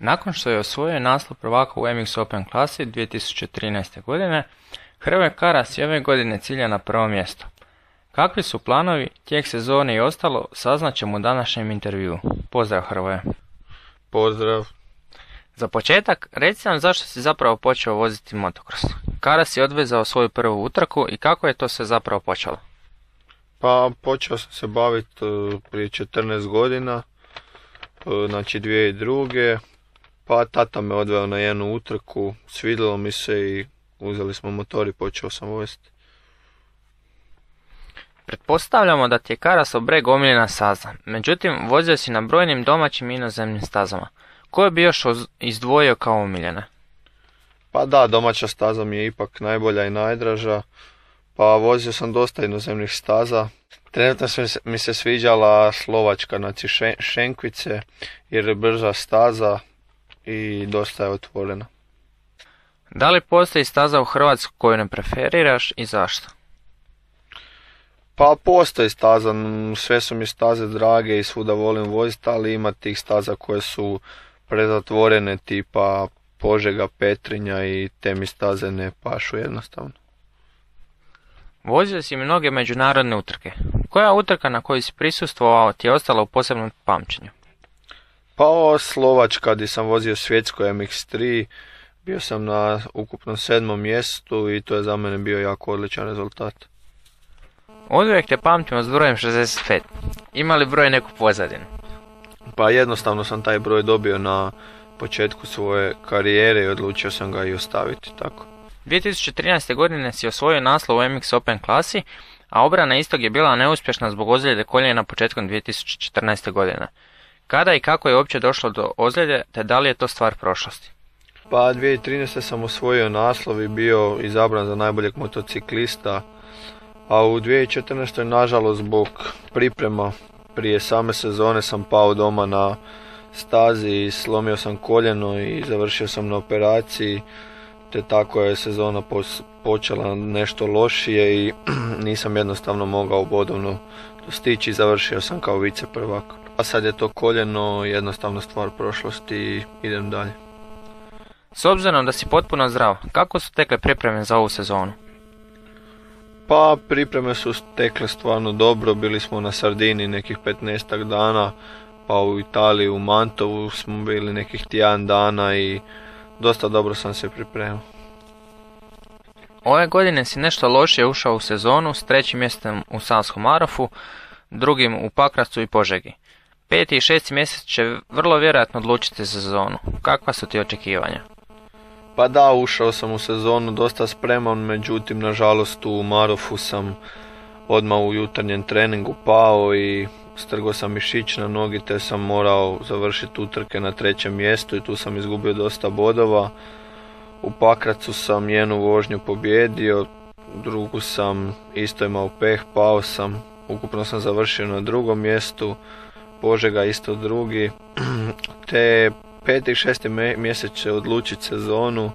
Nakon što je osvojio naslov prvaka u MX Open klasi 2013. godine, Hrvoje Karas je ove godine cilja na prvo mjesto. Kakvi su planovi, tijek sezone i ostalo, saznaćemo u današnjem intervjuu. Pozdrav Hrvoje. Pozdrav. Za početak, reci nam zašto si zapravo počeo voziti motocross. Kada si odvezao svoju prvu utrku i kako je to sve zapravo počelo? Pa počeo sam se baviti prije 14 godina, znači 2002. Pa tata me odveo na jednu utrku, svidjelo mi se i uzeli smo motor i počeo sam voziti. Pretpostavljamo da ti je Karasov breg omiljena staza, međutim vozio si na brojnim domaćim i inozemnim stazama. Koje bi još izdvojio kao omiljene? Pa da, domaća staza mi je ipak najbolja i najdraža, pa vozio sam dosta inozemnih staza. Trenutno mi se sviđala Slovačka, znači Šenkvice, jer je brža staza i dosta je otvorena. Da li postoji staza u Hrvatskoj koju ne preferiraš i zašto? Pa postoji staza, sve su mi staze drage i svuda volim voziti, ali ima tih staza koje su prezatvorene, tipa Požega, Petrinja, i te mi staze ne pašu jednostavno. Vozio si mnoge međunarodne utrke. Koja utrka na kojoj si prisustvovao ti je ostala u posebnom pamćenju? Pa ovo Slovačka, gdje sam vozio svjetsko MX3, bio sam na ukupnom 7. mjestu i to je za mene bio jako odličan rezultat. Oduvijek te pamtimo s brojem 65. Ima li broj neku pozadinu? Pa jednostavno sam taj broj dobio na početku svoje karijere i odlučio sam ga i ostaviti tako. 2013. godine si osvojio naslov u MX Open klasi, a obrana istog je bila neuspješna zbog ozljede koljena početkom 2014. godine. Kada i kako je uopće došlo do ozljede, te da li je to stvar prošlosti? Pa 2013. sam osvojio naslov i bio izabran za najboljeg motociklista, a u 2014. nažalost zbog priprema prije same sezone sam pao doma na stazi i slomio sam koljeno i završio sam na operaciji, te tako je sezona počela nešto lošije i nisam jednostavno mogao bodovno dostići i završio sam kao vice prvak. A sad je to koljeno jednostavno stvar prošlosti i idem dalje. S obzirom da si potpuno zdrav, kako su tekle pripreme za ovu sezonu? Pa pripreme su tekle stvarno dobro, bili smo na Sardini nekih 15 dana, pa u Italiji u Mantovu smo bili nekih tjedan dana i dosta dobro sam se pripremio. Ove godine si nešto lošije ušao u sezonu s 3. mjestom u Savskom Marofu, 2. u Pakracu i Požegi. 5. i 6. mjesec će vrlo vjerojatno odlučiti sezonu. Kakva su ti očekivanja? Pa da, ušao sam u sezonu dosta spreman, međutim nažalost u Marofu sam odmah u jutarnjem treningu pao i strgao sam mišić na nogi, te sam morao završiti utrke na 3. mjestu i tu sam izgubio dosta bodova. U Pakracu sam jednu vožnju pobjedio, drugu sam isto imao peh, pao sam, ukupno sam završio na 2. mjestu, Požega isto 2. te 5. i 6. mjesec će odlučiti sezonu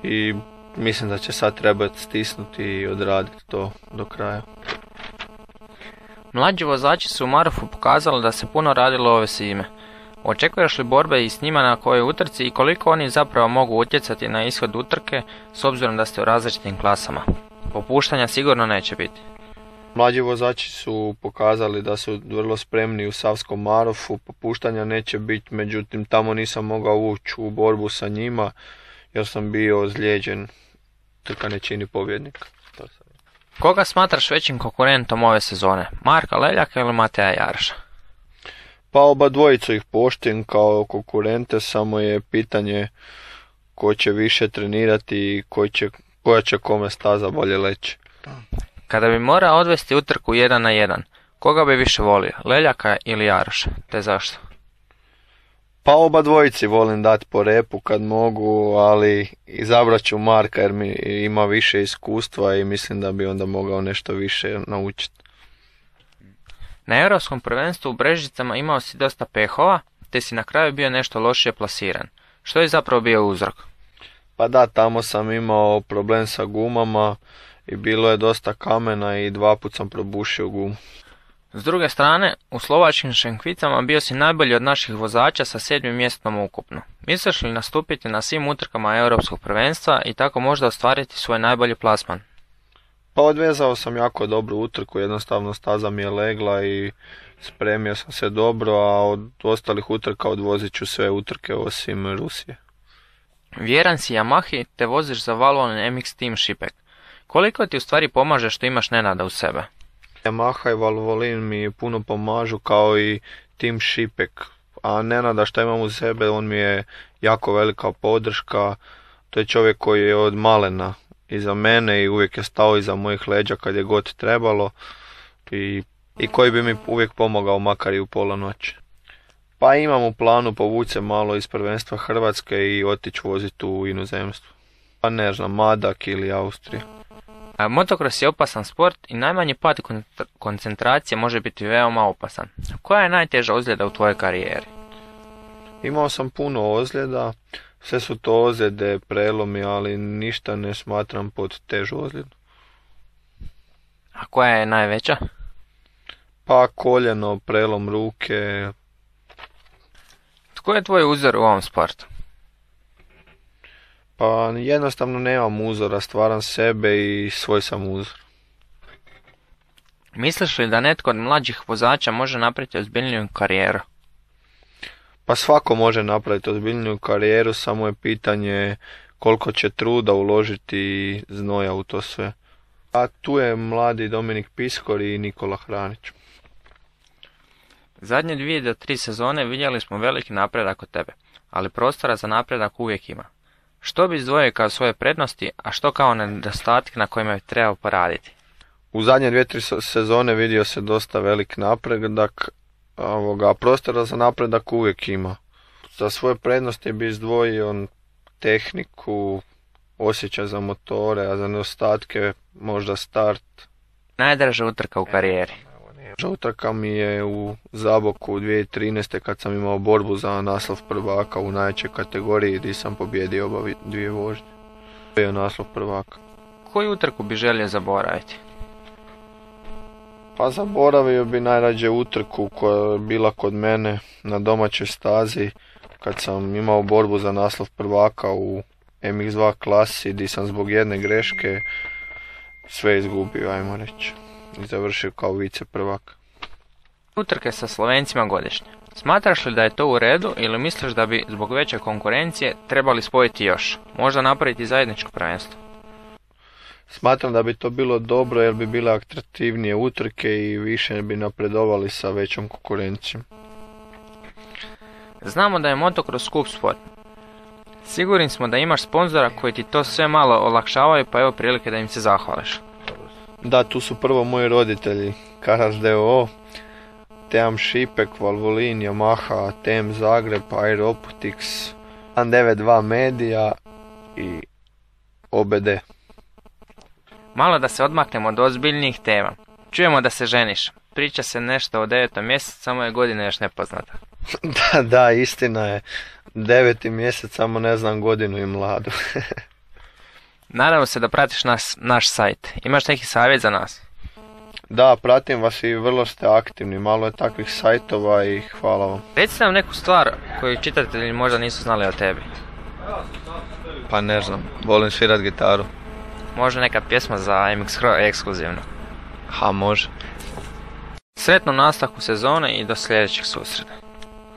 i mislim da će sad trebati stisnuti i odraditi to do kraja. Mlađi vozači su u Marofu pokazali da se puno radilo ove zime. Očekuješ li borbe i s njima na kojoj utrci i koliko oni zapravo mogu utjecati na ishod utrke s obzirom da ste u različitim klasama? Popuštanja sigurno neće biti. Mlađi vozači su pokazali da su vrlo spremni u Savskom Marofu, popuštanja neće biti, međutim tamo nisam mogao ući u borbu sa njima jer sam bio ozlijeđen, trka ne čini pobjednika. Koga smatraš većim konkurentom ove sezone, Marka Leljaka ili Mateja Jaraša? Pa oba dvojicu ih poštujem kao konkurente, samo je pitanje ko će više trenirati i koja će kome staza bolje leći. Kada bi morao odvesti utrku 1 na 1, koga bi više volio, Leljaka ili Jaraša, te zašto? Pa oba dvojici volim dati po repu kad mogu, ali izabrat ću Marka jer mi ima više iskustva i mislim da bi onda mogao nešto više naučiti. Na Europskom prvenstvu u Brežicama imao si dosta pehova, te si na kraju bio nešto lošije plasiran. Što je zapravo bio uzrok? Pa da, tamo sam imao problem sa gumama i bilo je dosta kamena i 2 puta sam probušio gumu. S druge strane, u slovačkim Šenkvicama bio si najbolji od naših vozača sa 7. mjestom ukupno. Misliš li nastupiti na svim utrkama europskog prvenstva i tako možda ostvariti svoj najbolji plasman? Pa odvezao sam jako dobru utrku, jednostavno staza mi je legla i spremio sam se dobro, a od ostalih utrka odvozit ću sve utrke osim Rusije. Vjeran si Yamahi te voziš za Valvoline MX Team Šipek. Koliko ti u stvari pomaže što imaš Nenada u sebe? Yamaha i Valvoline mi puno pomažu kao i Team Šipek, a Nenada što imam u sebe, on mi je jako velika podrška. To je čovjek koji je od malena iza mene i uvijek je stao iza mojih leđa kad je god trebalo i koji bi mi uvijek pomogao makar i u pola noći. Pa imam u planu povući se malo iz prvenstva Hrvatske i otići voziti u inozemstvo. Pa ne znam, Madak ili Austrija. Motocross je opasan sport i najmanji pad koncentracije može biti veoma opasan. Koja je najteža ozljeda u tvojoj karijeri? Imao sam puno ozljeda, sve su to ozljede, prelomi, ali ništa ne smatram pod težu ozljedu. A koja je najveća? Pa koljeno, prelom ruke. Tko je tvoj uzor u ovom sportu? Pa jednostavno nemam uzora, stvaram sebe i svoj sam uzor. Misliš li da netko od mlađih vozača može napraviti ozbiljniju karijeru? Pa svako može napraviti ozbiljniju karijeru, samo je pitanje koliko će truda uložiti i znoja u to sve. A tu je mladi Dominik Piskor i Nikola Hranić. Zadnje 2 do 3 sezone vidjeli smo veliki napredak od tebe, ali prostora za napredak uvijek ima. Što bi izdvojio kao svoje prednosti, a što kao nedostatke na kojima bi trebao poraditi? U zadnje 2-3 sezone vidio se dosta velik napredak, a prostora za napredak uvijek ima. Za svoje prednosti bi izdvojio tehniku, osjećaj za motore, a za nedostatke možda start. Najdraža utrka u karijeri? Utrka mi je u Zaboku 2013. kad sam imao borbu za naslov prvaka u najjačoj kategoriji gdje sam pobjedio oba 2 vožnje. Bio naslov prvaka. Koju utrku bi želio zaboraviti? Pa zaboravio bi najrađe utrku koja je bila kod mene na domaćoj stazi kad sam imao borbu za naslov prvaka u MX2 klasi gdje sam zbog jedne greške sve izgubio, ajmo reći. I završio kao vice prvak. Utrke sa Slovencima godišnje. Smatraš li da je to u redu ili misliš da bi zbog veće konkurencije trebali spojiti još? Možda napraviti zajedničko prvenstvo? Smatram da bi to bilo dobro jer bi bile atraktivnije utrke i više bi napredovali sa većom konkurencijom. Znamo da je motocross skup sport. Sigurni smo da imaš sponzora koji ti to sve malo olakšavaju, pa evo prilike da im se zahvališ. Da, tu su prvo moji roditelji, Karas DOO, Team Šipek, Valvoline, Yamaha, TM Zagreb, Aeropotics, 192 Media i OBD. Malo da se odmaknemo od ozbiljnijih tema. Čujemo da se ženiš. Priča se nešto o 9. mjesecu, samo je godina još nepoznata. Da, istina je. 9. mjesec, samo ne znam godinu i mladu. Nadamo se da pratiš naš sajt. Imaš neki savjet za nas? Da, pratim vas i vrlo ste aktivni. Malo je takvih sajtova i hvala vam. Recite nam neku stvar koju čitatelji možda nisu znali o tebi. Pa ne znam, volim svirat gitaru. Može neka pjesma za MX Pro ekskluzivno? Ha, može. Sretno nastavku sezone i do sljedećeg susreta.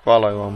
Hvala i vam.